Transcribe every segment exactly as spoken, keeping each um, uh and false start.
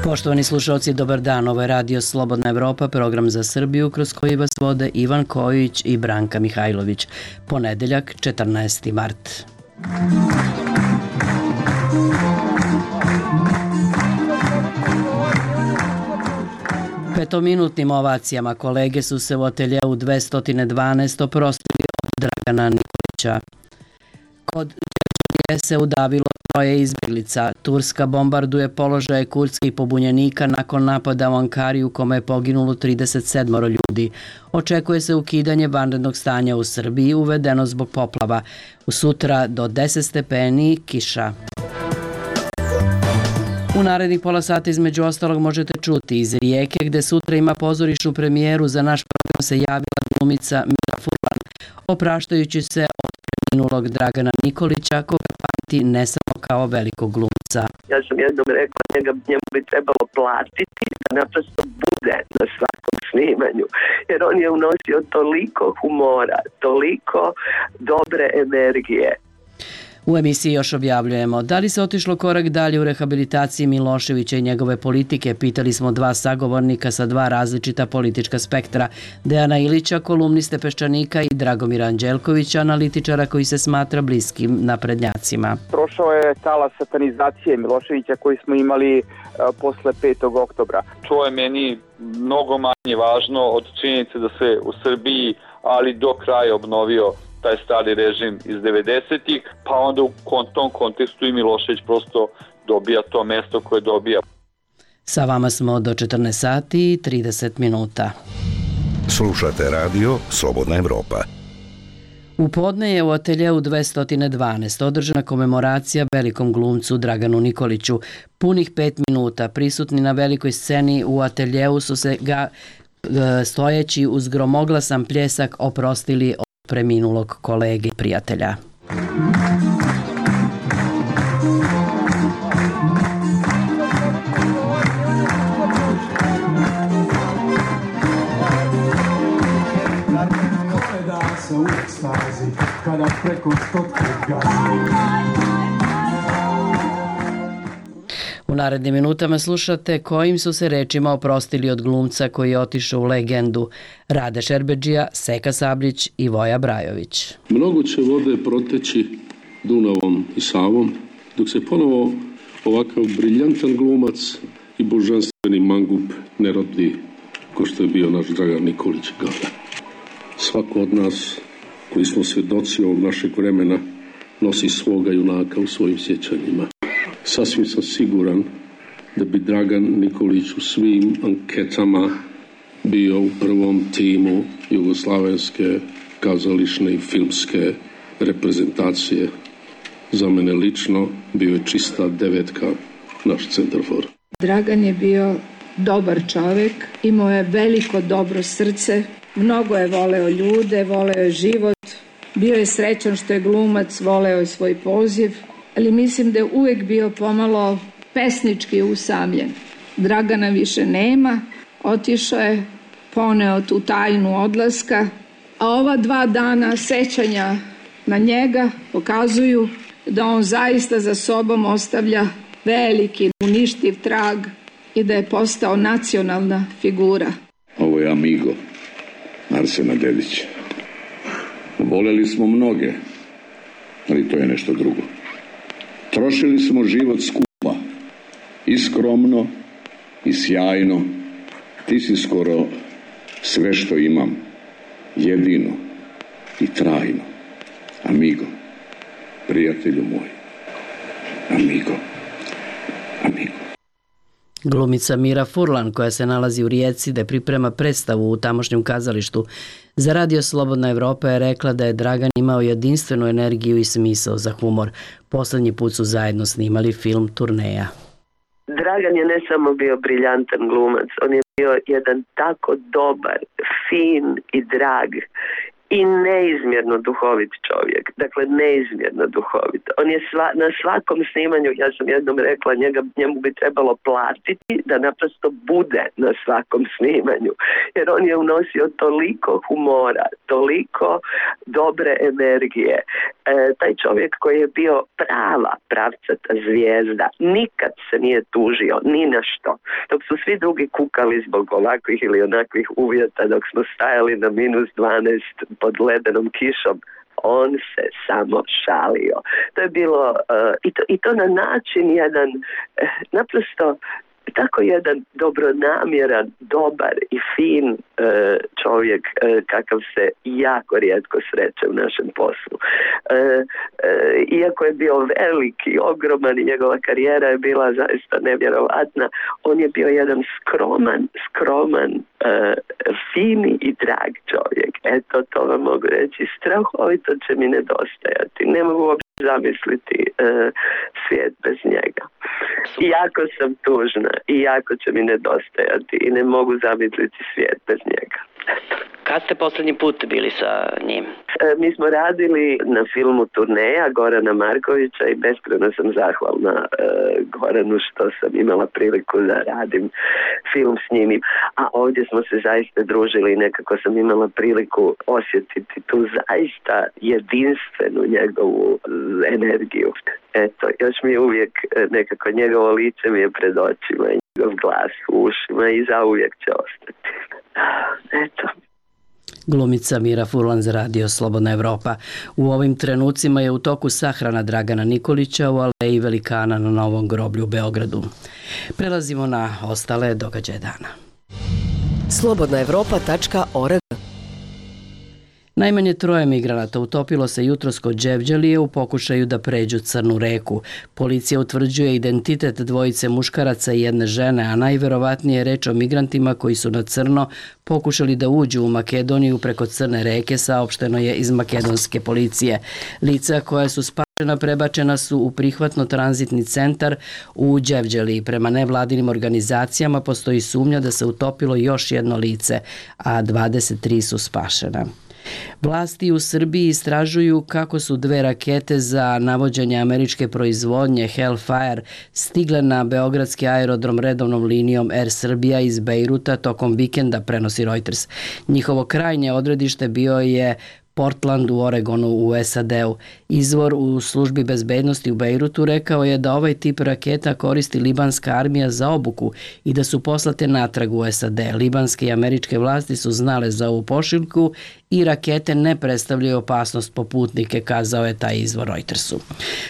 Poštovani slušalci, dobar dan. Ovo je Radio Slobodna Evropa, program za Srbiju kroz koji vas vode Ivan Kojić i Branka Mihajlović. Ponedeljak, četrnaesti mart. Petominutnim ovacijama kolege su se u ateljeu dvesta dvanaest oprostili od Dragana Nikolića. Kod Đerđevije se udavilo troje izbjeglica. Turska bombarduje položaje kurdskih pobunjenika nakon napada u Ankari u kome je poginulo trideset sedam ljudi. Očekuje se ukidanje vanrednog stanja u Srbiji uvedeno zbog poplava. U sutra do deset stepeni kiša. U narednih pola sata između ostalog možete čuti iz Rijeke gde sutra ima pozorišnu premijeru za naš program se javila glumica Mira Furlan, opraštajući se od preminulog Dragana Nikolića koga pamti ne samo kao velikog glumca. Ja sam jednom rekla njega, njemu bi trebalo platiti da naprosto bude na svakom snimanju, jer on je unosio toliko humora, toliko dobre energije. U emisiji još objavljujemo da li se otišlo korak dalje u rehabilitaciji Miloševića i njegove politike. Pitali smo dva sagovornika sa dva različita politička spektra. Dejana Ilića, kolumniste Peščanika i Dragomira Anđelkovića, analitičara koji se smatra bliskim naprednjacima. Prošao je talas satanizacije Miloševića koji smo imali uh, posle petog oktobra. To je meni mnogo manje važno od činjenice da se u Srbiji, ali do kraja obnovio taj stari režim iz devedesetih, pa onda u tom kontekstu i Milošević prosto dobija to mesto koje dobija. Sa vama smo do četrnaest sati i trideset minuta. Slušate radio Slobodna Evropa. U podne je u ateljeu dvesta dvanaest održana komemoracija velikom glumcu Draganu Nikoliću. Punih pet minuta prisutni na velikoj sceni u ateljeu su se ga stojeći uz gromoglasan pljesak oprostili od preminulog kolege i prijatelja. U narednim minutama slušate kojim su se rečima oprostili od glumca koji je otišao u legendu: Rade Šerbedžija, Seka Sablić i Voja Brajović. Mnogo će vode proteći Dunavom i Savom, dok se ponovo ovakav briljantan glumac i božanstveni mangup ne rodi ko što je bio naš Dragan Nikolić Gada. Svako od nas koji smo svjedoci ovog našeg vremena nosi svoga junaka u svojim sjećanjima. Sasvim sam siguran da bi Dragan Nikolić u svim anketama bio u prvom timu jugoslavenske kazališne i filmske reprezentacije. Za mene lično bio je čista devetka naš centarfor. Dragan je bio dobar čovjek, imao je veliko dobro srce, mnogo je voleo ljude, voleo je život, bio je srećan što je glumac, voleo je svoj poziv, ali mislim da je uvijek bio pomalo pesnički usamljen. Dragana više nema, otišao je, poneo tu tajnu odlaska, a ova dva dana sećanja na njega pokazuju da on zaista za sobom ostavlja veliki, uništiv trag i da je postao nacionalna figura. Ovo je Amigo, Arsena Dedića. Voleli smo mnoge, ali to je nešto drugo. Trošili smo život skupa, i skromno, i sjajno. Ti si skoro sve što imam, jedino i trajno. Amigo, prijatelju moj. Amigo, amigo. Glumica Mira Furlan, koja se nalazi u Rijeci da priprema predstavu u tamošnjem kazalištu za Radio Slobodna Evropa, je rekla da je Dragan imao jedinstvenu energiju i smisao za humor. Poslednji put su zajedno snimali film Turneja. Dragan je ne samo bio briljantan glumac, on je bio jedan tako dobar, fin i drag i neizmjerno duhovit čovjek. Dakle, neizmjerno duhovit. On je sva, na svakom snimanju, ja sam jednom rekla, njega, njemu bi trebalo platiti da naprosto bude na svakom snimanju. Jer on je unosio toliko humora, toliko dobre energije. E, taj čovjek koji je bio prava pravcata zvijezda, nikad se nije tužio ni na što. Dok su svi drugi kukali zbog ovakvih ili onakvih uvjeta, dok smo stajali na minus dvanaest pod ledenom kišom, on se samo šalio. To je bilo uh, i, to, i to na način jedan uh, naprosto tako jedan dobronamjeran, dobar i fin uh, čovjek uh, kakav se jako rijetko sreće u našem poslu. Uh, uh, iako je bio veliki, ogroman i njegova karijera je bila zaista nevjerovatna, on je bio jedan skroman, skroman, uh, fini i drag čovjek. Eto, to vam mogu reći. Strahovito će mi nedostajati. Ne mogu uopće zamisliti uh, svijet bez njega. I jako sam tužna i jako će mi nedostajati i ne mogu zamisliti svijet bez njega. Kad ste posljednji put bili sa njim? E, mi smo radili na filmu Turneja Gorana Markovića i beskrajno sam zahvalna e, Goranu što sam imala priliku da radim film s njim. A ovdje smo se zaista družili i nekako sam imala priliku osjetiti tu zaista jedinstvenu njegovu energiju. Eto, još mi je uvijek nekako njegovo lice mi je pred očima i njegov glas u ušima i zauvijek će ostati. Eto. Glumica Mira Furlan za radio Slobodna Evropa. U ovim trenucima je u toku sahrana Dragana Nikolića u Aleji Velikana na Novom groblju u Beogradu. Prelazimo na ostale događaje dana. slobodna evropa tačka org. Najmanje troje migranata utopilo se jutros kod Đevđelije u pokušaju da pređu Crnu reku. Policija utvrđuje identitet dvojice muškaraca i jedne žene, a najverovatnije je reč o migrantima koji su na crno pokušali da uđu u Makedoniju preko Crne reke, saopšteno je iz makedonske policije. Lica koja su spašena prebačena su u prihvatno-tranzitni centar u Đevđeliji. Prema nevladinim organizacijama postoji sumnja da se utopilo još jedno lice, a dvadeset tri su spašena. Vlasti u Srbiji istražuju kako su dve rakete za navođenje američke proizvodnje Hellfire stigle na beogradski aerodrom redovnom linijom Air Srbija iz Bejruta tokom vikenda, prenosi Reuters. Njihovo krajnje odredište bio je Portland u Oregonu u S A D-u. Izvor u službi bezbednosti u Bejrutu rekao je da ovaj tip raketa koristi libanska armija za obuku i da su poslate natrag u S A D. Libanske i američke vlasti su znale za ovu pošiljku i rakete ne predstavljaju opasnost po putnike, kazao je taj izvor Reutersu.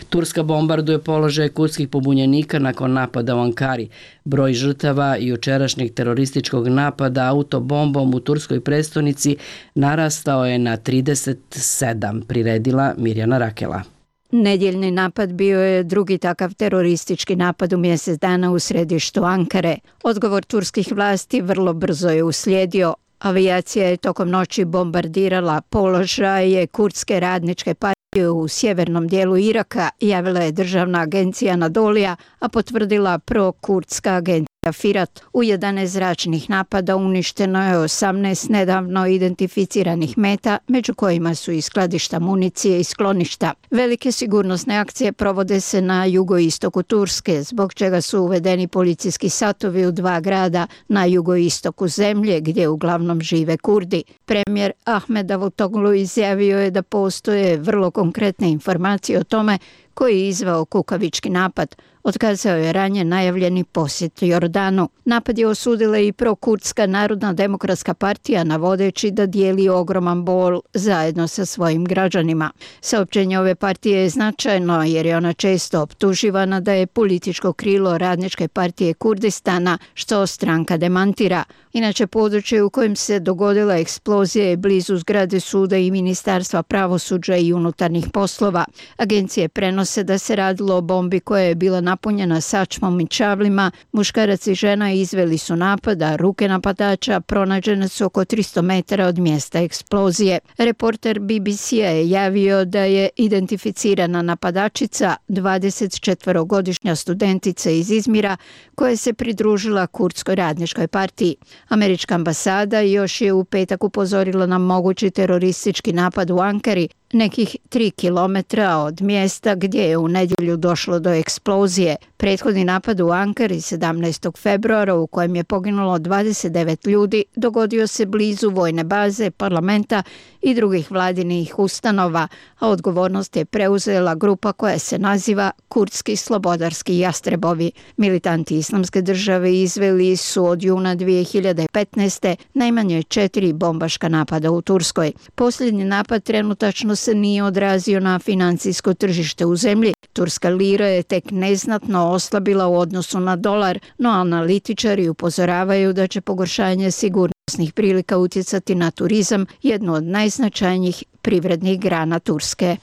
Turska bombarduje položaje kurdskih pobunjenika nakon napada u Ankari. Broj žrtava jučerašnjeg terorističkog napada autobombom u turskoj prestonici narastao je na trideset sedam, priredila Mirjana Rakela. Nedjeljni napad bio je drugi takav teroristički napad u mjesec dana u središtu Ankare. Odgovor turskih vlasti vrlo brzo je uslijedio. Avijacija je tokom noći bombardirala položaje kurdske radničke partije u sjevernom dijelu Iraka, javila je državna agencija Anadolija, a potvrdila pro-kurdska agencija Firat. U jedanaest zračnih napada uništeno je osamnaest nedavno identificiranih meta, među kojima su i skladišta municije i skloništa. Velike sigurnosne akcije provode se na jugoistoku Turske, zbog čega su uvedeni policijski satovi u dva grada na jugoistoku zemlje, gdje uglavnom žive Kurdi. Premijer Ahmed Davutoglu izjavio je da postoje vrlo konkretne informacije o tome koji je izveo kukavički napad. Otkazao je ranije najavljeni posjet Jordanu. Napad je osudila i prokurdska Narodna demokratska partija, navodeći da dijeli ogroman bol zajedno sa svojim građanima. Saopćenje ove partije je značajno jer je ona često optuživana da je političko krilo Radničke partije Kurdistana, što stranka demantira. Inače, područje u kojem se dogodila eksplozija je blizu zgrade suda i Ministarstva pravosuđa i unutarnjih poslova. Agencije prenose da se radilo o bombi koja je bila napravljena napunjena sačmom i čavlima, muškarac i žena izveli su napad, a ruke napadača pronađene su oko tristo metara od mjesta eksplozije. Reporter B B C-a je javio da je identificirana napadačica dvadesetčetvorogodišnja studentica iz Izmira koja se pridružila Kurdskoj radničkoj partiji. Američka ambasada još je u petak upozorila na mogući teroristički napad u Ankari, nekih tri kilometra od mjesta gdje je u nedjelju došlo do eksplozije. Prethodni napad u Ankari sedamnaestog februara u kojem je poginulo dvadeset devet ljudi dogodio se blizu vojne baze, parlamenta i drugih vladinih ustanova, a odgovornost je preuzela grupa koja se naziva Kurdski slobodarski jastrebovi. Militanti Islamske države izveli su od juna dvije hiljade petnaeste. najmanje četiri bombaška napada u Turskoj. Posljednji napad trenutačno se nije odrazio na financijsko tržište u zemlji. Turska lira je tek neznatno oslabila u odnosu na dolar, no analitičari upozoravaju da će pogoršanje sigurnosnih prilika utjecati na turizam, jednu od najznačajnijih privrednih grana Turske.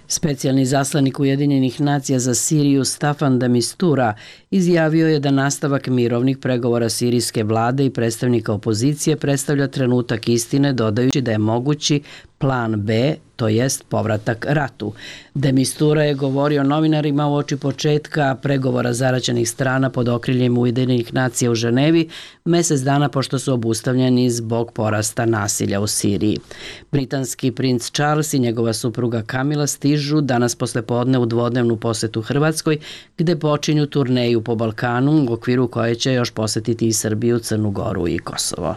Specijalni zaslanik Ujedinjenih nacija za Siriju Staffan de Mistura izjavio je da nastavak mirovnih pregovora sirijske vlade i predstavnika opozicije predstavlja trenutak istine, dodajući da je mogući plan B, to jest povratak ratu. De Mistura je govorio novinarima uoči početka pregovora zaraćenih strana pod okriljem Ujedinjenih nacija u Ženevi, mjesec dana pošto su obustavljeni zbog porasta nasilja u Siriji. Britanski princ Charles i njegova supruga Kamila stižu danas poslijepodne u dvodnevnu posjetu Hrvatskoj, gde počinju turneju po Balkanu, u okviru koje će još posjetiti i Srbiju, Crnu Goru i Kosovo.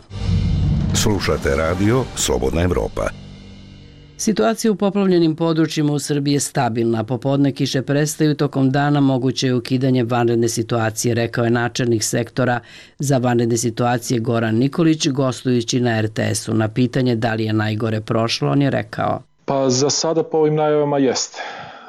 Slušate radio Slobodna Evropa. Situacija u poplavljenim područjima u Srbiji je stabilna. Popodne kiše prestaju, tokom dana moguće je ukidanje vanredne situacije, rekao je načelnik sektora za vanredne situacije Goran Nikolić, gostujući na R T S-u. Na pitanje da li je najgore prošlo, on je rekao: Pa za sada po ovim najavama jeste.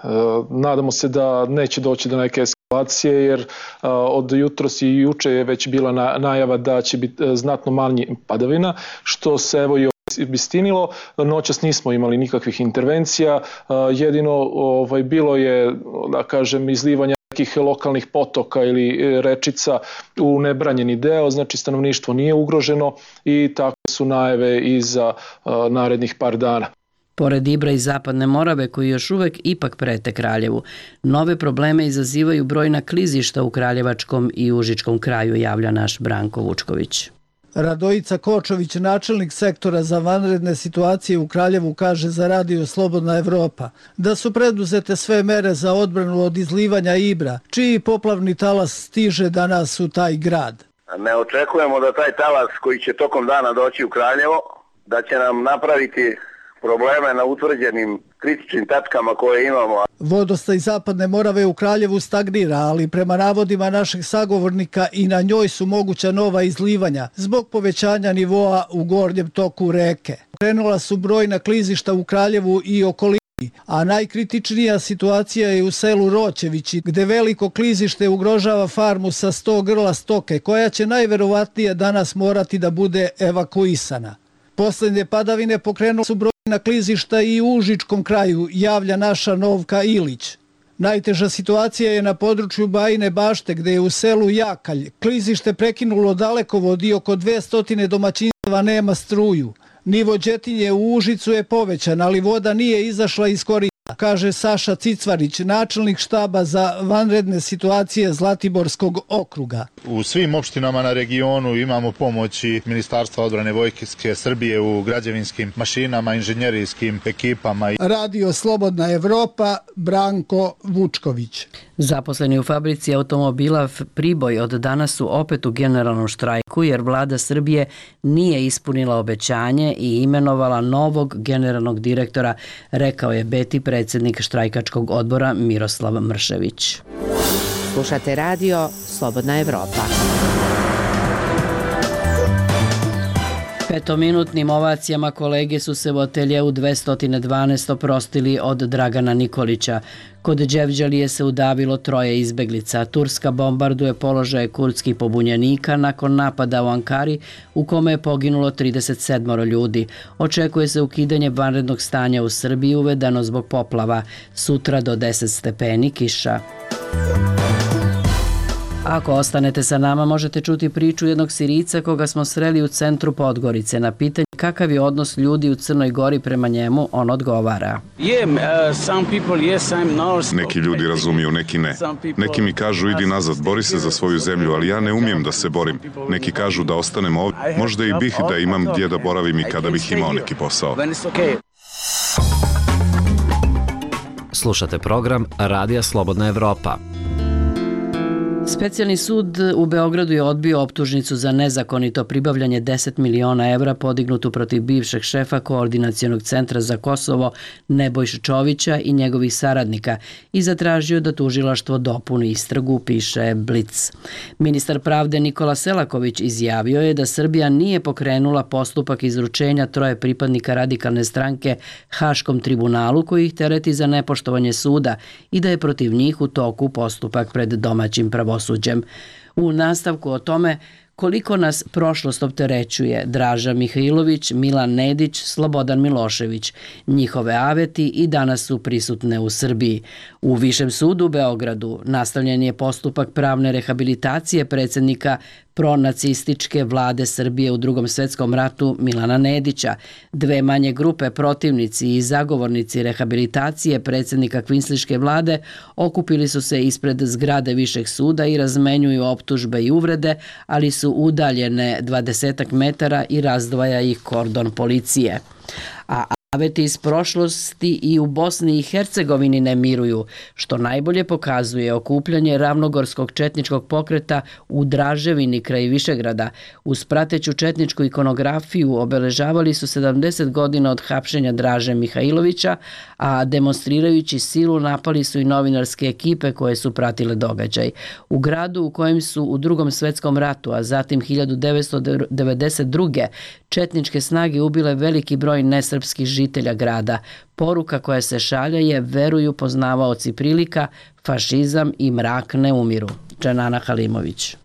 E, nadamo se da neće doći do neke eskalacije, jer a, od jutros i juče je već bila na, najava da će biti a, znatno manje padavina, što se evo i obistinilo. Noćas nismo imali nikakvih intervencija, jedino ovaj, bilo je, da kažem, izlivanja nekih lokalnih potoka ili rečica u nebranjeni deo, znači stanovništvo nije ugroženo i takve su najave i za narednih par dana. Pored Ibra i Zapadne Morave, koji još uvek ipak prete Kraljevu, nove probleme izazivaju brojna klizišta u Kraljevačkom i Užičkom kraju, javlja naš Branko Vučković. Radojica Kočović, načelnik sektora za vanredne situacije u Kraljevu, kaže za radio Slobodna Evropa da su preduzete sve mere za odbranu od izlivanja Ibra, čiji poplavni talas stiže danas u taj grad. Ne očekujemo da taj talas koji će tokom dana doći u Kraljevo, da će nam napraviti probleme na utvrđenim kritičnim tačkama koje imamo. Vodostaj Zapadne Morave u Kraljevu stagnira, ali prema navodima našeg sagovornika i na njoj su moguća nova izlivanja zbog povećanja nivoa u gornjem toku reke. Krenula su brojna klizišta u Kraljevu i okolini, a najkritičnija situacija je u selu Roćevići, gde veliko klizište ugrožava farmu sa sto grla stoke, koja će najverovatnije danas morati da bude evakuisana. Posljednje padavine pokrenule su brojna klizišta i u Užičkom kraju, javlja naša Novka Ilić. Najteža situacija je na području Bajine Bašte, gde je u selu Jakalj klizište prekinulo dalekovod i oko dvesta domaćinstava nema struju. Nivo Đetinje u Užicu je povećan, ali voda nije izašla iz korita, kaže Saša Cicvarić, načelnik štaba za vanredne situacije Zlatiborskog okruga. U svim opštinama na regionu imamo pomoći Ministarstva odbrane Vojske Srbije u građevinskim mašinama, inženjerijskim ekipama. Radio Slobodna Evropa, Branko Vučković. Zaposleni u fabrici automobila Priboj od danas su opet u generalnom štrajku, jer vlada Srbije nije ispunila obećanje i imenovala novog generalnog direktora, rekao je Beti predsjednik štrajkačkog odbora Miroslav Mršević. Slušate radio Slobodna Evropa. Petominutnim ovacijama kolege su se u ateljeu dvesta dvanaest oprostili od Dragana Nikolića. Kod Đevđalije se udavilo troje izbeglica. Turska bombarduje položaje kurdskih pobunjenika nakon napada u Ankari, u kome je poginulo trideset sedam ljudi. Očekuje se ukidanje vanrednog stanja u Srbiji, uvedeno zbog poplava. Sutra do deset stepeni kiša. Ako ostanete sa nama, možete čuti priču jednog Sirijca koga smo sreli u centru Podgorice. Na pitanje kakav je odnos ljudi u Crnoj Gori prema njemu, on odgovara. Neki ljudi razumiju, neki ne. Neki mi kažu idi nazad, bori se za svoju zemlju, ali ja ne umijem da se borim. Neki kažu da ostanem ovdje. Možda i bih da imam gdje da boravim i kada bih imao neki posao. Slušate program Radija Slobodna Evropa. Specijalni sud u Beogradu je odbio optužnicu za nezakonito pribavljanje deset miliona evra podignutu protiv bivšeg šefa Koordinacionog centra za Kosovo Nebojše Čovića i njegovih saradnika i zatražio da tužilaštvo dopuni istragu, piše Blic. Ministar pravde Nikola Selaković izjavio je da Srbija nije pokrenula postupak izručenja troje pripadnika radikalne stranke Haškom tribunalu koji ih tereti za nepoštovanje suda i da je protiv njih u toku postupak pred domaćim pravosuđem. U nastavku o tome koliko nas prošlost opterećuje Draža Mihajlović, Milan Nedić, Slobodan Milošević. Njihove aveti i danas su prisutne u Srbiji. U Višem sudu u Beogradu nastavljen je postupak pravne rehabilitacije predsjednika pronacističke vlade Srbije u Drugom svjetskom ratu Milana Nedića. Dve manje grupe, protivnici i zagovornici rehabilitacije predsjednika kvinsliške vlade, okupili su se ispred zgrade Višeg suda i razmenjuju optužbe i uvrede, ali su udaljene dvadesetak metara i razdvaja ih kordon policije. A aveti iz prošlosti i u Bosni i Hercegovini ne miruju, što najbolje pokazuje okupljanje ravnogorskog četničkog pokreta u Draževini kraj Višegrada. Uz prateću četničku ikonografiju obeležavali su sedamdeset godina od hapšenja Draže Mihajlovića, a demonstrirajući silu napali su i novinarske ekipe koje su pratile događaj. U gradu u kojem su u Drugom svjetskom ratu, a zatim hiljadu devetsto devedeset druge četničke snage ubile veliki broj nesrpskih žitelja grada. Poruka koja se šalje je veruju poznavaoci prilika, fašizam i mrak ne umiru. Dženana Halimović.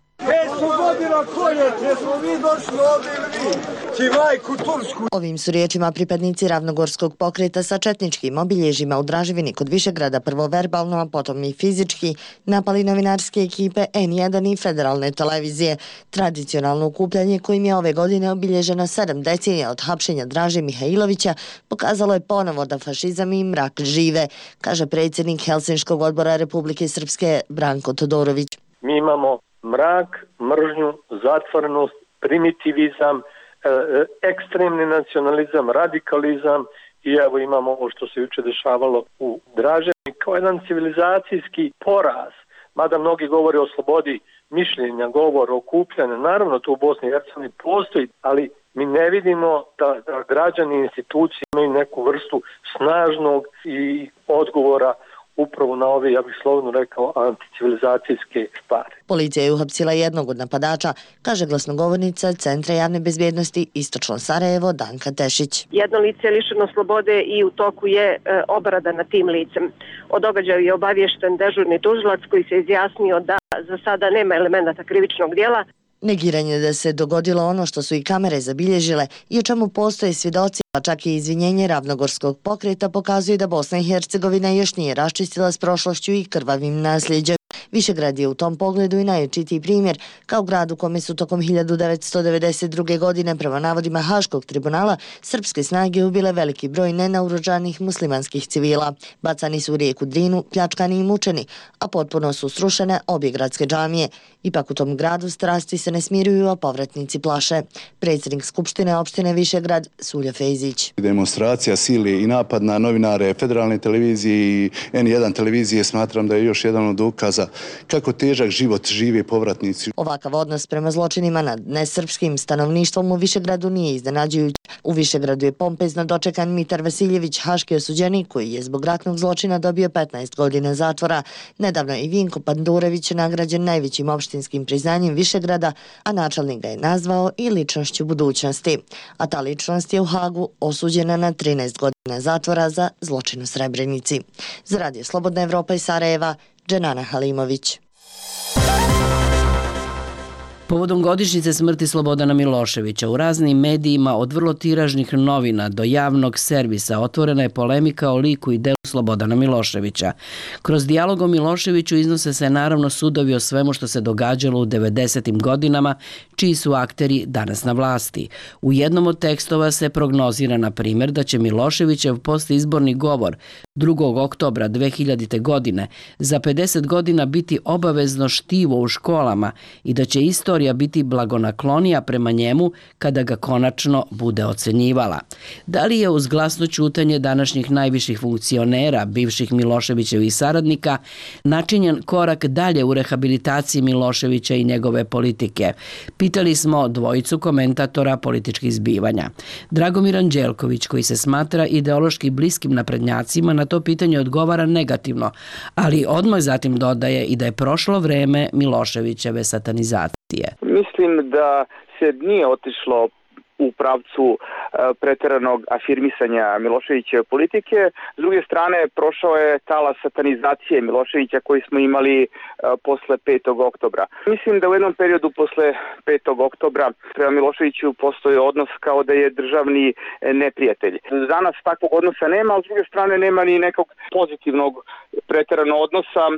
Ovim su riječima pripadnici ravnogorskog pokreta sa četničkim obilježjima u Draževini kod Višegrada prvo verbalno, a potom i fizički napali novinarske ekipe en jedan i federalne televizije. Tradicionalno okupljanje kojim je ove godine obilježeno sedam decenija od hapšenja Draže Mihajlovića pokazalo je ponovo da fašizam i mrak žive, kaže predsjednik Helsinškog odbora Republike Srpske Branko Todorović. Mi imamo mrak, mržnju, zatvorenost, primitivizam, ekstremni nacionalizam, radikalizam i evo imamo ovo što se juče dešavalo u Draževini kao jedan civilizacijski poraz. Mada mnogi govore o slobodi mišljenja, govor o okupljanju, naravno to u Bosni i Hercegovini postoji, ali mi ne vidimo da, da građani i institucije imaju neku vrstu snažnog i odgovora upravo na ove, ja bih slovno rekao, anticivilizacijske stvari. Policija je uhapsila jednog od napadača, kaže glasnogovornica Centra javne bezbjednosti Istočno Sarajevo Danka Tešić. Jedno lice je lišeno slobode i u toku je e, obrada nad tim licem. O događaju je obaviješten dežurni tužilac koji se izjasnio da za sada nema elemenata krivičnog djela. Negiranje da se dogodilo ono što su i kamere zabilježile i o čemu postoje svjedoci, pa čak i izvinjenje ravnogorskog pokreta pokazuje da Bosna i Hercegovina još nije raščistila s prošlošću i krvavim nasljeđem. Višegrad je u tom pogledu i najočitiji primjer, kao grad u kome su tokom hiljadu devetsto devedeset druge. godine prema navodima Haškog tribunala srpske snage ubile veliki broj nenaoružanih muslimanskih civila. Bacani su u rijeku Drinu, pljačkani i mučeni, a potpuno su srušene obje gradske džamije. Ipak u tom gradu strasti se ne smiruju, a povratnici plaše. Predsjednik Skupštine opštine Višegrad Sulja Fejzić. Demonstracija sili i napad na novinare federalne televizije i en jedan televizije smatram da je još jedan od dokaza kako težak život žive povratnici. Ovakav odnos prema zločinima nad nesrpskim stanovništvom u Višegradu nije iznenađujući. U Višegradu je pompezno dočekan Mitar Vasiljević, haški osuđenik koji je zbog ratnog zločina dobio petnaest godina zatvora. Nedavno je i Vinko Pandurević nagrađen najvećim opštinskim priznanjem Višegrada, a načelnik ga je nazvao i ličnošću budućnosti. A ta ličnost je u Hagu osuđena na trinaest godina zatvora za zločin u Srebrenici. Za Radio Slobodna Evropa iz Sarajeva, Dženana Halimović. Povodom godišnjice smrti Slobodana Miloševića u raznim medijima od vrlo tiražnih novina do javnog servisa otvorena je polemika o liku i delu Slobodana Miloševića. Kroz dijalog o Miloševiću iznose se naravno sudovi o svemu što se događalo u devedesetim godinama, čiji su akteri danas na vlasti. U jednom od tekstova se prognozira, na primjer, da će Miloševićev postizborni govor drugog oktobra dve hiljadite. godine za pedeset godina biti obavezno štivo u školama i da će istorija biti blagonaklonija prema njemu kada ga konačno bude ocenjivala. Da li je uz glasno ćutanje današnjih najviših funkcionera, bivših Miloševićevih saradnika, načinjen korak dalje u rehabilitaciji Miloševića i njegove politike? Pitali smo dvojicu komentatora političkih zbivanja. Dragomir Anđelković, koji se smatra ideološki bliskim naprednjacima, na to pitanje odgovara negativno, ali odmah zatim dodaje i da je prošlo vreme Miloševićeve satanizacije. Mislim da se nije otišlo u pravcu e, preteranog afirmisanja Miloševićeve politike. S druge strane, prošao je talas satanizacije Miloševića koji smo imali e, posle petog oktobra. Mislim da u jednom periodu posle petog oktobra prema Miloševiću postoji odnos kao da je državni neprijatelj. Danas takvog odnosa nema, a s druge strane nema ni nekog pozitivnog preteranog odnosa. E,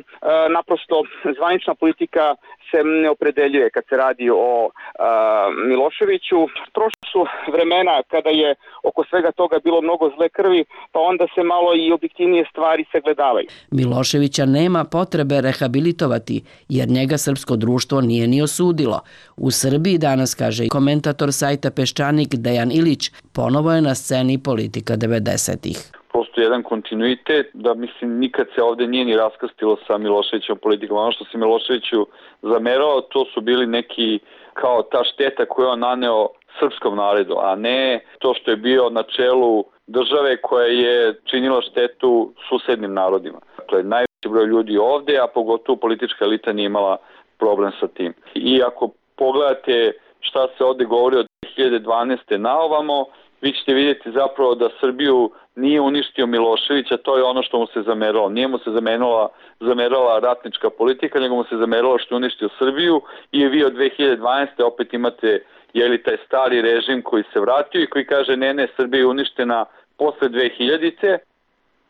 naprosto zvanična politika se ne opredeljuje kad se radi o a, Miloševiću. Prošle su vremena kada je oko svega toga bilo mnogo zle krvi, pa onda se malo i objektivnije stvari sagledavaju. Miloševića nema potrebe rehabilitovati, jer njega srpsko društvo nije ni osudilo. U Srbiji danas, kaže komentator sajta Peščanik Dejan Ilić, ponovo je na sceni politika devedesetih. Postoji jedan kontinuitet da, mislim, nikad se ovde nije ni raskrstilo sa Miloševićevom politikom. Ono što se Miloševiću zamerao, to su bili neki kao ta šteta koju on naneo srpskom narodu, a ne to što je bio na čelu države koja je činila štetu susednim narodima. Dakle, najveći broj ljudi ovde, a pogotovo politička elita nije imala problem sa tim. I ako pogledate šta se ovde govori od dve hiljade dvanaeste na ovamo, vi ćete vidjeti zapravo da Srbiju nije uništio Milošević, a to je ono što mu se zameralo. Nije mu se zamerala, zamerala ratnička politika, nego mu se zameralo što je uništio Srbiju i vi od dve hiljade dvanaeste opet imate je li taj stari režim koji se vratio i koji kaže ne, ne, Srbija je uništena posle dve hiljadite.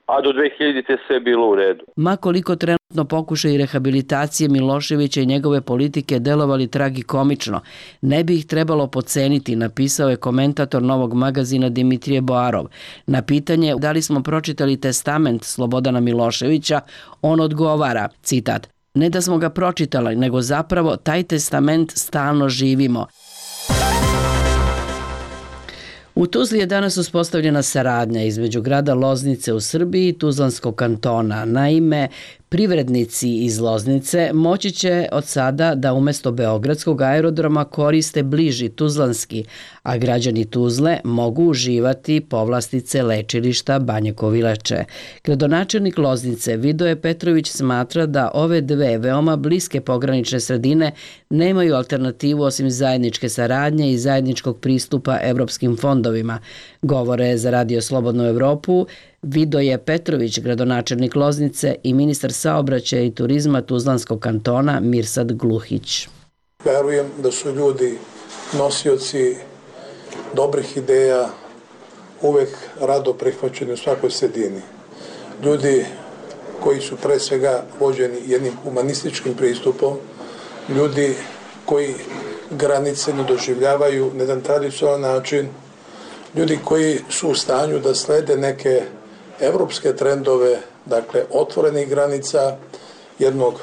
a do dve hiljadite sve bilo u redu. Ma koliko trenutno pokušaj rehabilitacije Miloševića i njegove politike delovali tragikomično, ne bi ih trebalo poceniti, napisao je komentator Novog magazina Dimitrije Boarov. Na pitanje da li smo pročitali testament Slobodana Miloševića, on odgovara, citat, ne da smo ga pročitali, nego zapravo taj testament stalno živimo. U Tuzli je danas uspostavljena saradnja između grada Loznice u Srbiji i Tuzlanskog kantona. Naime, privrednici iz Loznice moći će od sada da umesto Beogradskog aerodroma koriste bliži Tuzlanski, a građani Tuzle mogu uživati povlastice lečilišta Banje Kovileče. Gradonačelnik Loznice Vidoje Petrović smatra da ove dve veoma bliske pogranične sredine nemaju alternativu osim zajedničke saradnje i zajedničkog pristupa evropskim fondovima. Govore za Radio Slobodnu Evropu Vidoje Petrović, gradonačelnik Loznice, i ministar saobraćaja i turizma Tuzlanskog kantona Mirsad Gluhić. Verujem da su ljudi nosioci dobrih ideja, uvek rado prihvaćeni u svakoj sredini. Ljudi koji su pre svega vođeni jednim humanističkim pristupom, ljudi koji granice ne doživljavaju na jedan tradicionalan način, ljudi koji su u stanju da slede neke evropske trendove, dakle otvorenih granica, jednog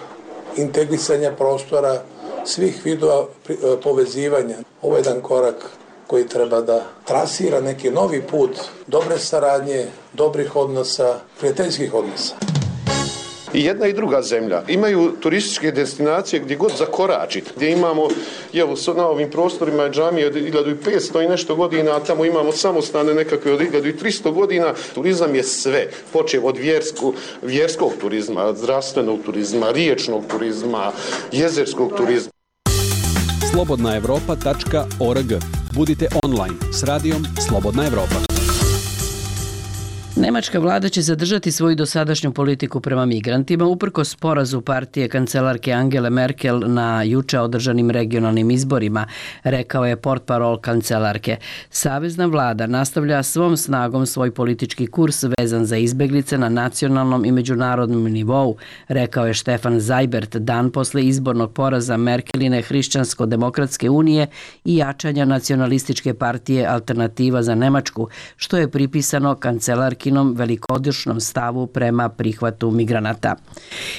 integrisanja prostora, svih vidova povezivanja. Ovo je jedan korak koji treba da trasira neki novi put dobre saradnje, dobrih odnosa, prijateljskih odnosa. I jedna i druga zemlja imaju turističke destinacije gdje god zakoračiti, gdje imamo, evo, na ovim prostorima je džamije od hiljadu petsto i nešto godina, a tamo imamo samostane nekakve od hiljadu tristo godina. Turizam je sve, počev od vjersku, vjerskog turizma, zdravstvenog turizma, riječnog turizma, jezerskog turizma. slobodna evropa tačka org. Budite online s radijom Slobodna Evropa. Nemačka vlada će zadržati svoju dosadašnju politiku prema migrantima uprkos porazu partije kancelarke Angele Merkel na juče održanim regionalnim izborima, rekao je portparol kancelarke. Savezna vlada nastavlja svom snagom svoj politički kurs vezan za izbeglice na nacionalnom i međunarodnom nivou, rekao je Stefan Seibert dan posle izbornog poraza Merkeline Hrišćansko-demokratske unije i jačanja nacionalističke partije Alternativa za Nemačku, što je pripisano kancelarki velikodušnom stavu prema prihvatu migranata.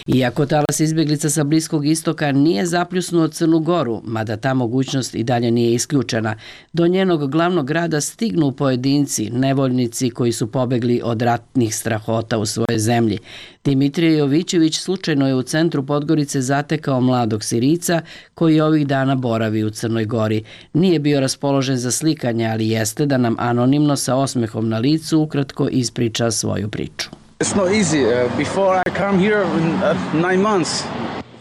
Iako talas izbjeglica sa Bliskog istoka nije zapljusnuo Crnu Goru, mada ta mogućnost i dalje nije isključena, do njenog glavnog grada stignu pojedinci, nevoljnici koji su pobegli od ratnih strahota u svojoj zemlji. Dimitrije Jovićević slučajno je u centru Podgorice zatekao mladog Sirijca koji ovih dana boravi u Crnoj Gori. Nije bio raspoložen za slikanje, ali jeste da nam anonimno sa osmehom na licu ukratko ispriča svoju priču.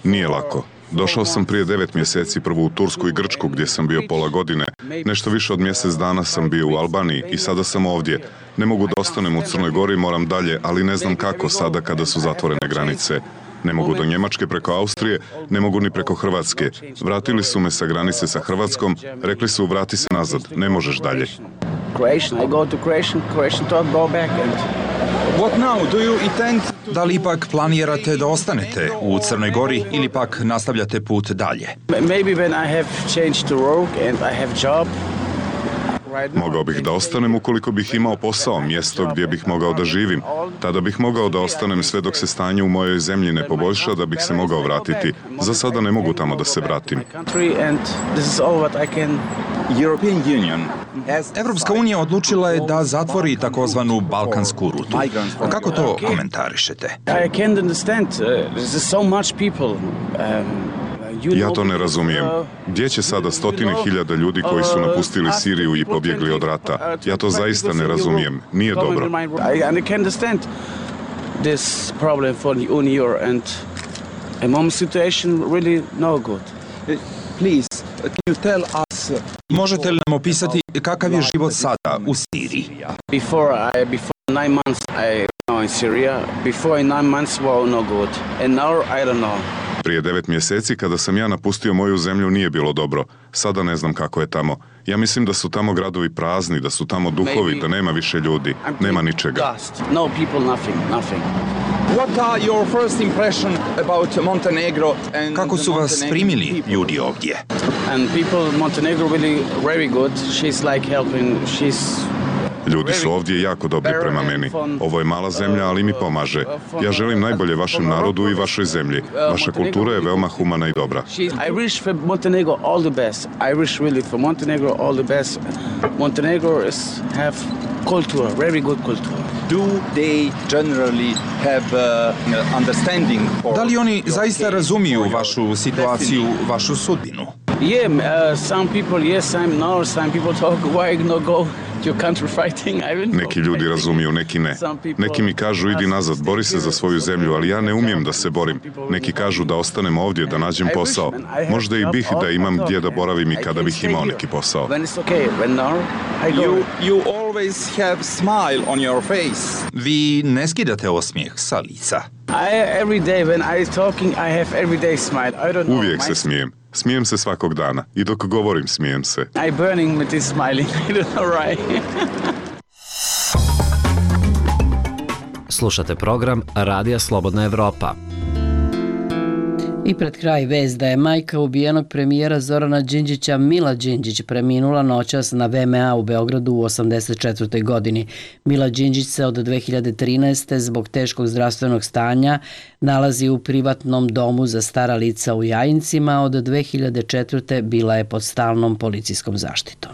Nije lako. Došao sam prije devet mjeseci prvo u Tursku i Grčku gdje sam bio pola godine. Nešto više od mjesec dana sam bio u Albaniji i sada sam ovdje. Ne mogu da ostanem u Crnoj Gori, moram dalje, ali ne znam kako sada kada su zatvorene granice. Ne mogu do Njemačke preko Austrije, ne mogu ni preko Hrvatske. Vratili su me sa granice sa Hrvatskom, rekli su vrati se nazad, ne možeš dalje. Da li ipak planirate da ostanete u Crnoj Gori ili pak nastavljate put dalje? Mogao bih da ostanem ukoliko bih imao posao, mjesto gdje bih mogao da živim. Tada bih mogao da ostanem sve dok se stanje u mojoj zemlji ne poboljša da bih se mogao vratiti. Za sada ne mogu tamo da se vratim. Evropska unija odlučila je da zatvori takozvanu balkansku rutu. Kako to komentarišete? Ja to ne razumijem. Gdje će sada stotine hiljada ljudi koji su napustili Siriju i pobjegli od rata? Ja to zaista ne razumijem. Nije dobro. Možete li nam opisati kakav je život sada u Siriji? Nine months I was in Syria. Before nine months was no good. And now I don't know. Prije devet mjeseci kada sam ja napustio moju zemlju nije bilo dobro. Sada ne znam kako je tamo. Ja mislim da su tamo gradovi prazni, da su tamo duhovi, da nema više ljudi, nema ničega. No people, nothing, nothing. What are your first impression about Montenegro? Kako su vas primili ljudi ovdje? And people Montenegro really very good. She's like helping. She's Ljudi su ovdje jako dobri prema meni. Ovo je mala zemlja, ali mi pomaže. Ja želim najbolje vašem narodu i vašoj zemlji. Vaša kultura je veoma humana i dobra. I wish for Montenegro all the best. I wish really for Montenegro all the best. Montenegro is have culture, very good culture. Do they generally have uh, understanding for... Da li oni zaista razumiju vašu situaciju, vašu sudbinu? Yeah, uh, some people yes, some no, some people talk why not go to country fighting. I don't know. Neki ljudi razumiju, neki ne. Neki mi kažu idi nazad, bori se za svoju zemlju, ali ja ne umijem da se borim. Neki kažu da ostanem ovdje, da nađem posao. Možda i bih da imam gdje da boravim i kada bih imao neki posao. You, you always have smile on your face. Vi ne skidate osmijeh sa lica. I every day when I talking I have every day smile. I don't know. Uvijek se smijem. Smijem se svakog dana i dok govorim smijem se. I burning with this smiling. I don't know why. Slušate program Radija Slobodna Evropa. I pred kraj vest da je majka ubijenog premijera Zorana Đinđića Mila Đinđić preminula noćas na V M A u Beogradu u osamdeset četvrtoj godini. Mila Đinđić se od dve hiljade trinaeste. zbog teškog zdravstvenog stanja nalazi u privatnom domu za stara lica u Jajincima. Od dve hiljade četvrte. bila je pod stalnom policijskom zaštitom.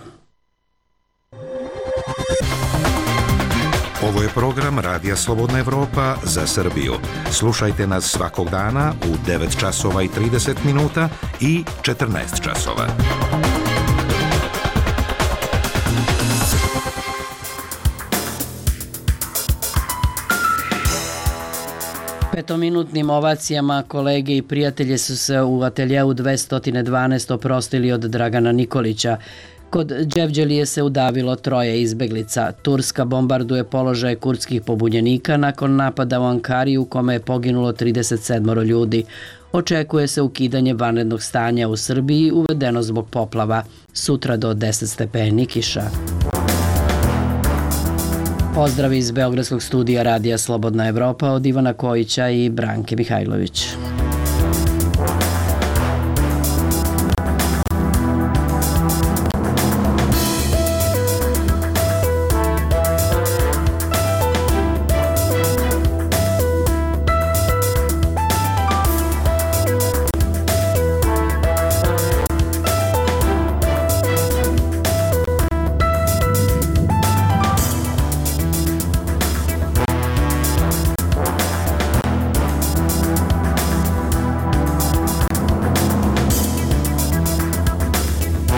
Ovo je program Radija Slobodna Evropa za Srbiju. Slušajte nas svakog dana u devet časova i trideset minuta i četrnaest časova. Petominutnim ovacijama kolege i prijatelje su se u ateljeu dvesta dvanaest oprostili od Dragana Nikolića, Kod Đevđelije se udavilo troje izbeglica. Turska bombarduje položaje kurdskih pobunjenika nakon napada u Ankari u kome je poginulo trideset sedam ljudi. Očekuje se ukidanje vanrednog stanja u Srbiji uvedeno zbog poplava. Sutra do deset stepeni kiša. Pozdrav iz Beogradskog studija Radija Slobodna Evropa od Ivana Kojića i Branke Mihajlović.